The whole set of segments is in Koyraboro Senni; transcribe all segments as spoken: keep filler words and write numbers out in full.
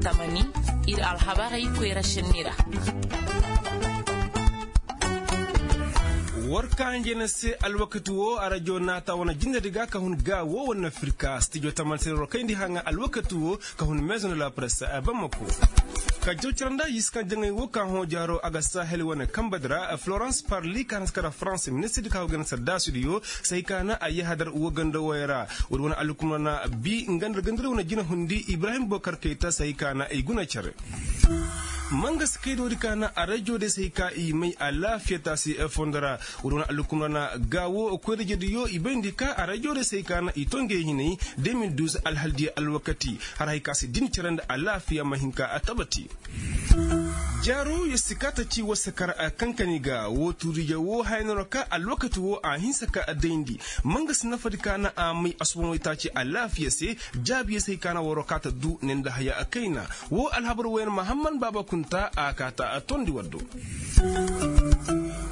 Tamani ir alhabarey koyra šenni ra. War ka hanjey na se alwakati woo arajo naata wane jindedi ga ka hun gaa woo wane afirka stijo tamani se ra war kayndi haŋa alwakati woo ka hun meezo nda la presse. Bamako ka jaw cara nda yiskaŋ jaŋay woo ka hõ jaaro a ga sahel wane kambedi ra florence parli ka na si kara farans ministirdi ka go gana saddaasidiyo sahi ka na a yahadar woo ganda woy ra. Woodi wane alhukumra na bi nga nda gandadi wane jina hundi ibrahim bokar kayta sahi ka na i guna cere. Mangasi kaydoodi ka na arajo day sahi ka i may alaafiya taasi fondo ra. Woodi wane alhukumra na gaawo koyra-ijediyo i bayndi ka arajo day sahi ka na i to ngey hinay de mil duuz alhaldiya alwakati har hay ka si din cere nda alaafiya ma hin ka tabati. Jaaru yer si kaa ta ci war si kar kankani ga woo tuuriije woo haya no ra ka alwakati woo a hinsa ka dayndi. Mangasi nafadi ka na a may asuba moytaaci alaafiya se jaabiya se hay ka na waroo kaa ta du ne nda haya kayna. Woo alhabar wooyaŋ mahamman baaba kunta a kaa ta tondi war do.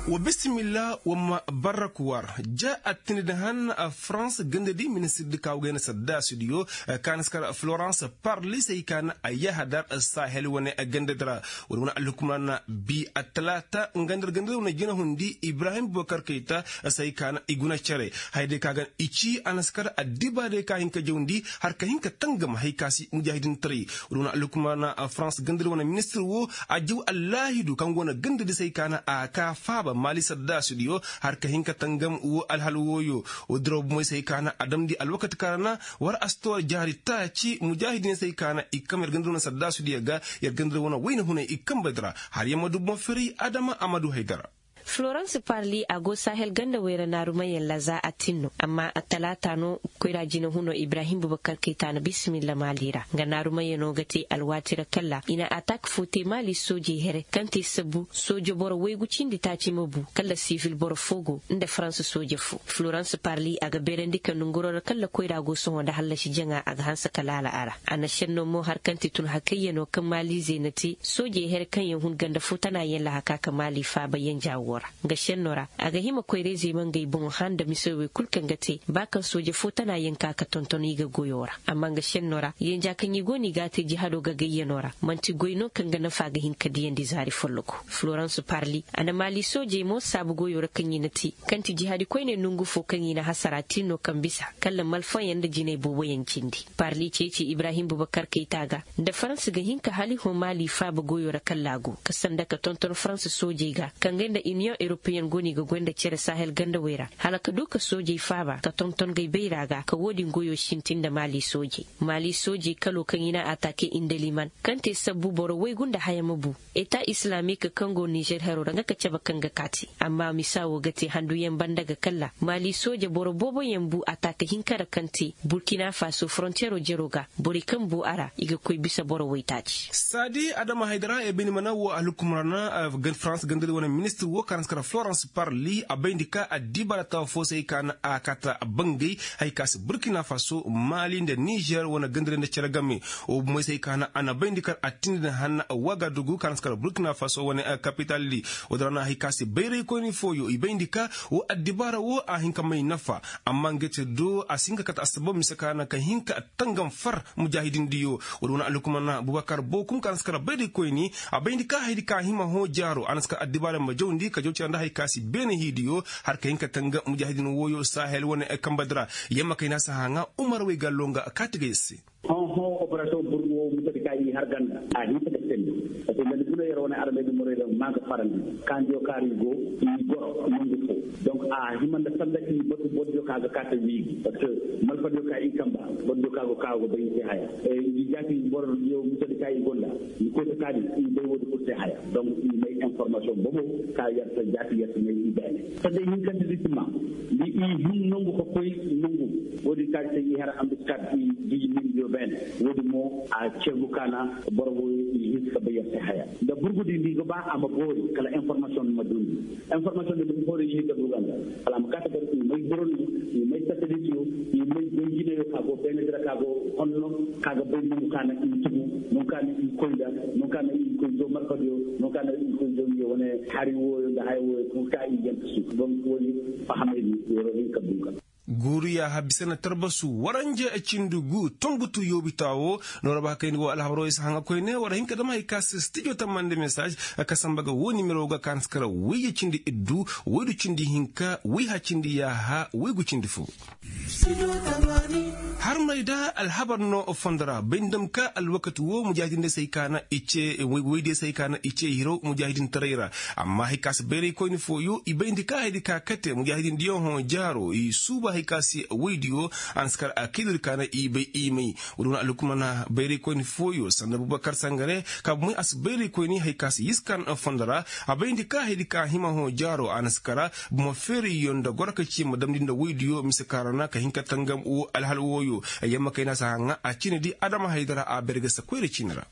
Wa bisimilla wa ma barrak war ja attindi da han farans gandadi ministirdi ka wagayna saddaasidiyo ka na si kar florence parli se hay ka na a yahadar sahel wane gandadi ra. Wala wane alhukumra na bi attalaata nga nda gandadi wane jina hundi ibrahim bokar kayta se hay ka na i guna cere. Haya day ka ga i ci a na si kar addibaarey ka hin ka jawndi har ka hin ka tangam hay ka si mujaahidintaray. Wala wane alhukumra na farans gandadi wane ministir woo a jaw allaahidu kaŋ go na gandadi se hay ka na a kaa faaba maali saddaasidiyo har ka hin ka tangam woo alhal wooyo. Woo diraw bumoy se hay ka na a damndi alwakati kaŋ ra na war a si to war jaari taaci mujaahidin se hay ka na i kam yer gandadi wane saddaasidiyo ga yer gandadi wane wayna hunay i kambedi ra. Har yer ma du boŋ firay adama a ma du haydara. Florence parli a go sahel ganda wayra naarumayaŋ laza a tin no amma attalaata no. Koyra jinahunoo ibrahim bubakar kayta na bisimilla maali ra nga naarumayaŋo ga te alwaati ra kalla i na atak foo te maali soojey here kaŋ te sabbu sooje boro waygu cindi taaci ma bu kalla sivil boro foo go nda farans sooje foo. Florence parli a ga beerandi ka nonguroo ra kalla koyra go sohõ nda hallasi jaŋa a ga hanse ka laala a ra. A na šennoo mo har kaŋ ti tun hakayyanoo kaŋ maaliizey na te soojey here kaŋyaŋ hun ganda foo tanaayaŋ lahaka ka maali faaba yenja woo ra. Nga šennoo ra a ga hima koyra-izey ma ngey boŋo hã nda misawey kul kaŋ ga te ba kaŋ sooje foo tanaayaŋ ka ka tonton i ga goyoo ra. Amma nga šennoo ra yenja kaŋ i go no i g'a te jihadoo ga gayyanoo ra man'ti goy no kaŋ ga nafa ga hin ka diyandi zaari follogo. Florence parli a na maali soojey mo saabu goyoo ra kaŋ i na te kaŋ ti jihaadi koyney nongu foo kaŋ i na hasara tin no kaŋ bisa kalla malfayaŋ nda jinay booboyaŋ cindi. Parli ceeci ibrahim bubakar kayta ga nda farans ga hin ka hali hõ maali faaba goyoo ra kalla a go ka sanda ka tonton farans soojey ga kaŋ gay nda iniyoŋ europeyen go no i ga goy nda cere sahel gandawey ra hala ka du ka soojey faaba ka tonton gay bayra ga ka woo din goyoo sintin nda maali soojey. Maali soojey kaloo kaŋ i na ataake indaliman kaŋ te sabbu boro waygu nda haya ma bu eta islamiik kaŋ go nizer heroo ra nga ka cabe kaŋ ga kaati. Amma misa woo ga te handuyaŋ banda ga kalla maali sooje boro booboyaŋ bu ataake hinka ra kaŋ te burkina faso forontiyeroo jeroo ga borey kaŋ bu a ra i ga koy bisa boro waytaaci. Saadi adama haydara ebeni mana woo alhukumra na farans gandadi wane ministir woo ka na si kara florence parli a bayndi ka addibaara tawa foo se hay ka na a kaata bangay hay ka si burkina faso maali nda nizer wane gandadi nda cere game. Woo bumoy se hay ka na a na bayndi kar attindi na hanna wagadugu ka na si kara burkina faso wane kapitaldi. Woo din ra na hay ka si bayraykoyni fooyo i bayndi ka woo addibaara woo a hin ka may nafa. Amma nga te do a si hin ka kate assabab mise ka na ka hin ka tangam far mujaahidindiyo. Woo din wane alhukumar na bubakar bookum ka na si kara bayraykoyni a bayndi ka hayadi ka a hima hõ jaaro a na si kara addibaara ma jawndi ka jaw cere nda hay ka si beene hiidiyo har ka hin ka tangam mujaahidin wooyo sahel wane kambadi ra. Yamma kay na si haŋa umar waygallo nga kaati ga yer se. Hõ hõ operasiyoŋ burgu woo musadi ka i har ganda a hinsa ga teendi. Parceque nda ni guna yer wane armedi morey da maa ga farandi kaandiyo kaari go i goro nongu foo. Donc a hima nda sanda i batu bordiyo ka ga kaate wiigi parceque malfadiyo ka i kamba bordiyo ka go ka go bay i se haya. I jaati bordiyo musadi ka i gonda ni koy ka kaadi i bay woodi kul se haya. Donc i may informasiyoŋ bobo ka yer se jaati yer se may i beene. Sanda i hinkandi di si ma ni i hin nongu ka koy nongu. Woodi ka se i har ambiskad i giji mindiyo beene. Woodi mo a ceegu ka na boro wo i hinsi ka bay yer se haya. Nda burgudi nda i ga ba a ma boori kala informasiyoŋ ma dundi. Informasiyoŋ nda boro i hinka duuganda kala a ma kaate gar i may boroni i may satalisiyo i may goy jinayo ka go beene dira ka go honno ka ga bay nongu ka na i tugu nongu ka na i koy nda nongu ka na i koy zo markadiyo nongu ka na i koy zo nge wane hari wooyo nda haya wooyo kul ka i yanka su. Donc woodi fahamay di yoro hinka duuga. Guuru yaaha bisa na tarbasu waranja cindi gu tongutu yoobitaa woo. Noora ba kayndi woo alhabaroo isa haŋa koyne war hin ka dam hari ka se stijo tamma nda mesaaz ka samba ga woo nimero ga ka na si kara woyye cindi iddu, woydu cindi hinka, woyha cindi yaaha, woygu cindi foo. Harmay da alhabar no fondo ra bay nda dam ka alwakati woo mujaahidin day se hay ka na i cee woydiyo se hay ka na i cee hiraw mujaahidin taray ra. Amma hay ka si bayraykoyni fooyo i bayndi ka haydi ka kate mujaahidin diyaŋ hõ jaaro i suuba hay ka si woydiyo. A na si kar a kaydodi ka na i bay i may. Woodi wane alhukumana bayraykoyni fooyo sanda bubakar sangare ka bumay a si bayraykoyni hay ka si yiskan fondo ra. A bayndi ka haydi ka hima hõ jaaro a na si kara buma feerayyo nda gorka ci ma damndi nda woydiyo mise ka ra na ka hin ka tangam woo alhal wooyo. Yamma kayna si haŋa a cine di adama haydara a bergesa koyra cine ra.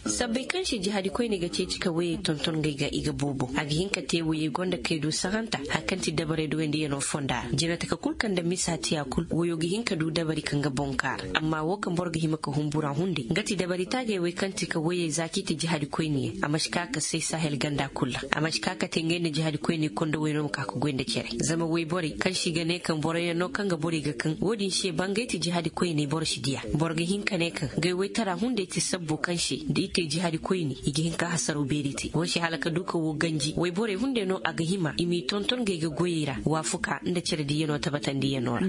Sabbay kaŋ se jihaadi koyney ga ceeci ka woyey tonton ngey ga i ga boobo a ga hin ka te woyey gonda kay du sahanta hari kaŋ ti dabarey duwandiyanoo fonda ra jinataka kul kaŋ nda misa tiya kul woyo ga hin ka du dabari kaŋ ga boŋ kaara amma woo kaŋ boro ga hima ka humbura hunday nga ti dabari taagey wey kaŋ ti ka woyey za k'i ti jihaadi koyniyaŋ a ma si ka ka say sahel ganda kul ra a ma si ka ka te ngey nda jihaadi koyney konda woy no ma ka ka goy nda cere zama woyborey kaŋ se i ga ne kaŋ boroyaŋ no kaŋ ga borey ga kaŋ wo-din se ba ngey ti jihaadi koyney boro si diya. Boro ga hin ka ne kaŋ gay waytara hunday ti sabbo kaŋ se da i te jihaadi koyne i ga hin ka hasaraw beeri te wo se hala ka du ka wo ganji wayborey hunday no a ga hima i m'i tonton gay ga goyey ra waafuka nda cere diyanoo tabatandiyanoo ra.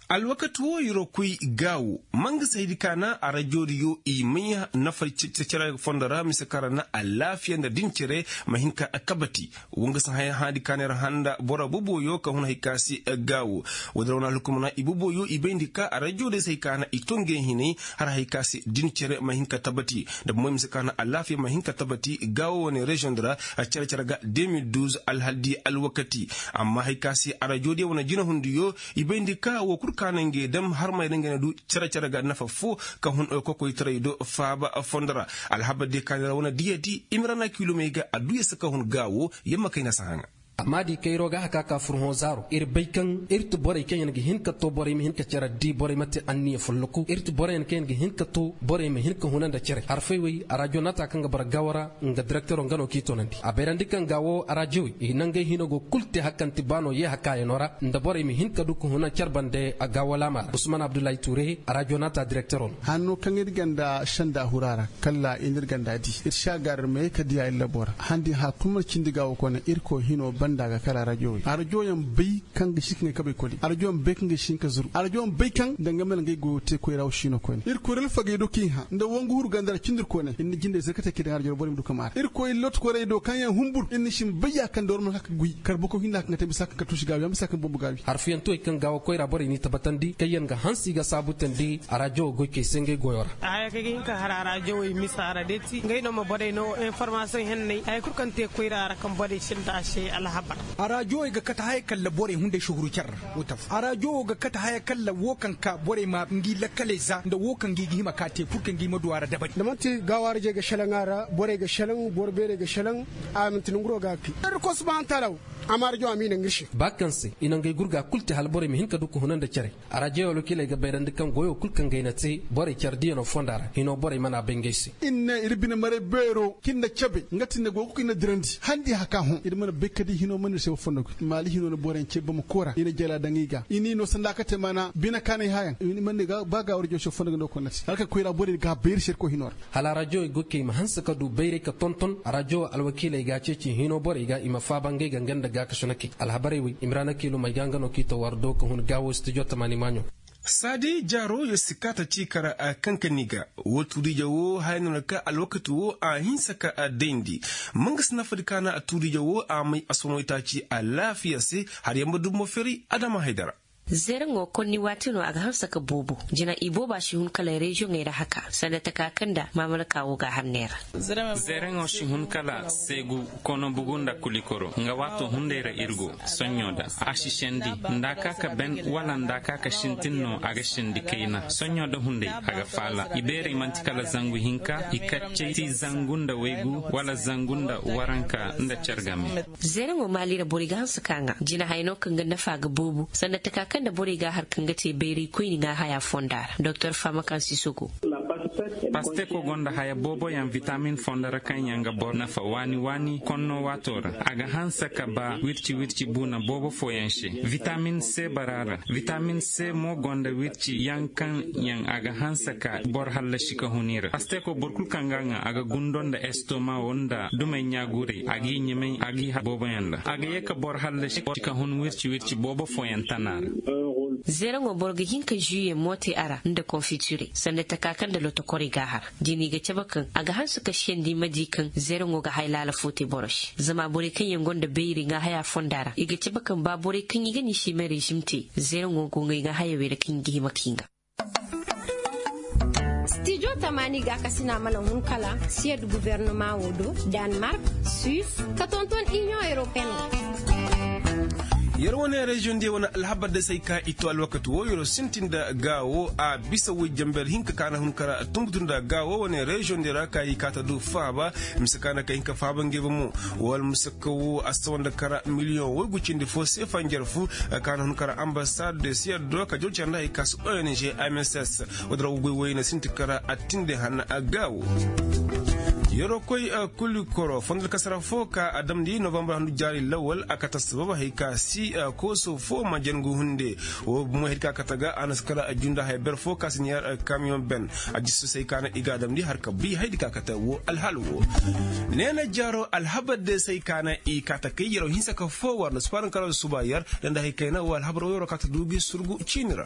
Alwakati wo yer wo koy gaawo ma nga se haydi ka na arajoodiyo i may nafa cere fondo ra mise kaŋ ra na alaafiya nda din cere ma hin ka kabati. Wo nga si haya hãadi ka neera handa boro boboyo ka hun hay ka se gaawo. Woodin ra wane alhukumana i boboyo i bayndi ka arajo day se hay ka na i to ngey hinay har hay ka se din cere ma hin ka tabati nda bomoy mise ka na alaafiya ma hin ka tabati gaawo wane reziyoŋ di ra. Cere cere ga de mil duuz alhal di alwakati. Amma hay ka se arajo diyaŋ wane jinahundiyo i bayndi ka woo kul ka na ngey dam harmay ra ngey na du cere cere ga nafa foo ka hun kokoytaray do faaba fondo ra. Alhabar diya ka neera wane diyadi imrana kilomey ga adduya se ka hun gaawo. Yamma kayna si haŋa. Amma di kayroo ga haka ka fur hõ zaaro ir bay kaŋ ir ti borey kaŋ yaŋ ga hin ka too borey ma hin ka cere di borey ma te anniya folloku ir ti borey yaŋ kaŋ yaŋ ga hin ka too borey ma hin ka huna nda cere harfey wey arajo naata kaŋ ga bara gaawo ra. Nga direktero nga no k'i toonandi a bayrandi kaŋ gaawo arajo wey i nangey hino go kul te hari kaŋ ti baano yee hakaayanoo ra nda borey ma hin ka du ka huna cere bande a gaawo laama ra usman abdullahi tuure arajo naata direktero no. Hanno kaŋ ir ganda senda hura ra kala i n'ir ganda di ir si a gaari ir ma ye ka diya ir labo ra handi haya kul mana cindi gaawo koyne irkoy hino banda ga kala arajo wey arajo yaŋ bay kaŋ ga si ka ngey kabay koli arajo yaŋ bay kaŋ ga si hin ka zuru arajo yaŋ bay kaŋ danga mana ngey goyo te koyra wo si no koyne irkoy ra alfagey do kaŋ i hã nda wangu huru ganda ra cindi ir koyne ir na jinde zirkatey kaŋ i daŋ arajo ra boro ma du ka maara irkoy lotokoyrey do kaŋ yaŋ humbur ir na si ma bay ya kaŋ da war mana ka ka guy kar boro kaŋ hinna kaŋ ga te bisa kaŋ ka tuusi gaawi yaŋ bisa kaŋ bombo gaawi harfiyantuwey kaŋ gaawo koyra borey n'i tabatandi kaŋ yaŋ ga hanse i ga saabu tandi arajo goykey se ngey goyo ra. Haya kaŋ ga hin ka har arajo wey misa ra day ti ngey no ma borey no informasiyoŋ henney haya kul kaŋ te koyra ra kaŋ borey sinda a se alhabar. Arajo wey ga kate haya kalla borey hunday suhuru care ra. Woo tafa arajo wo ga kate haya kalla woo kaŋ ka borey ma ngi lakkaley za nda woo kaŋ ngi ga hima ka te pur kaŋ ngi ma du a ra dabari. Da man'ti gaawo arajey ga selaŋ a ra borey ga selaŋ boro beerey ga selaŋ. A man'ti nanguroo ga a kay. Irkoy subahanahu wataala wo a ma arajo a m'i naŋ ir se. Ba kaŋ se i na ngey gurga kul te hala borey ma hin ka du ka huna nda cere. Arajo alwakiiley ga bayrandi kaŋ goyo kul kaŋ ga ay na te borey care diyanoo fonda ra hino borey mana bay ngey se. Ir ne ir bine maray beero kaŋ ir na cabe nga ti ne go ga koy ir na dirandi handi haka hõ ir mana bay ka di hino mana ir se wa fondo ga maali hino na boroyaŋ cee bama koora i na jala daŋ i ga i n'i no sanda ka te maana bine kaanay hayaŋ i mana ne ba ga warjo se wa fondo ga no koy na te hala kaŋ koyra borey ga bay ir se ir koy hino ra. Hala arajo ay goykey ma hanse ka du bayray ka tonton arajo alwakiiley ga a ceeci hino borey ga i ma faaba ngey ga nga nda gaakasinakey alhabarey wey imrana kiilum ay ga nga no k'i too war do ka hun gaawo stijo tamaani maaɲo. Saadi jaaro yer si kaata ci kara kankani ga. Woo tuuriije woo haya no na ka alwakati woo a hinsa ka dayndi. Ma nga si nafadi ka na tuuriije woo a may a somoytaaci alaafiya se har yer ma du mo feri adama haydara. Zereŋo konni waati no a ga hanse ka boobo jina ibooba si hun kala reziyoŋey ra haka sanda taka kaŋ nda maamalaka woo ga a har neera. Zereŋo si hun kala seegu kono bugu nda kulikoro nga waato hunday ra ir go. Soɲɲo da a si sendi nda a ka ka ben wala nda a ka ka sintin no a ga sendi kayna soɲɲo da hunday a ga faala ibeerey man'ti kala zangu hinka i kaccey ti zangu nda waygu wala zangu nda waranka nda car game. Zereŋo maali ra borey ga hanse ka ŋaa jina haya no kaŋ ga nafa ga boobo sanda taka kaŋ nda borey ga a har kaŋ ga te bayray koyni ŋaa haya fonda ra doktor faama kaŋ si sogo. Pasteko gonda haya booboyaŋ vitamin fondo ra kaŋ yaŋ ga boro nafa waani waani konno waato ra. A ga hanse ka ba wirci wirci buuna boobo fooyaŋ se. Vitamin se bara ra. Vitamin se mo gonda wirci yaŋ kaŋ yaŋ a ga hanse ka boro hallasi ka hun i ra. Pasteko boro kul kaŋ ga a ŋaa a ga gundo nda estoma wo nda dumey ɲaaguray a g'i ɲamay a g'i har booboyaŋ ra a ga ye ka boro hallasi ka hun wirci wirci boobo fooyaŋ tana ra. Zeeraŋo boro ga hin ka žuye moote a ra nda konfitire sanda taka kaŋ nda lotokorey g'a har. Din i ga cabe kaŋ a ga hanse ka siyandi ma di kaŋ zeeraŋo ga haya laala fo te boro se zama borey kaŋ yaŋ gonda bayray ŋaahaya fonda ra i ga cabe kaŋ ba borey kaŋ i ga ni se i ma režim te. Zeeraŋo go ŋay ŋaahaya wey ra kaŋ i ga hima ka hinga. Stijo tamaani gaakasina mana hun kala siyad gubernama wo do, danmark, suis, ka tonton iniyoŋ europeen. Yer wane reziyoŋ diya wane alhabar da se ay ka i to alwakati wo yer sintin nda gaawo a bisa way jamber hinka ka na hun kara tunbutu nda gaawo wane reziyoŋ diya ra ka i ka ta du faaba. Mise ka na ka hinka faaba ngey ba mo wala mise ka wo a sawa nda kara miliyoŋ waygu cindi fo seefa njarfu. Ka na hun kara ambasad de siyar do ka jawcar nda hay ka si ong mss. Wada ra ga goy wayna sinti kara attinde hanna a gaawo. Yeroo koy kulikoro fondol kasara fo ka a damndi novambar handu jaari lawal a kata sabab hay ka si kooso fo ma jangu hunde. Wo bumo hay ka kata ga a na si kara junda haya ber fo ka si niyar kamiyoŋ ben. A jissu say ka na i ga a damndi har ka bi hay di ka kata wo alhaal wo. Neena jaaro alhabar de say ka na i kata kay yeroo hinsa ka fo war na suparan kara suba yer. Danda hay kayna wo alhabar wo yeroo kata du gi surgu ciini ra.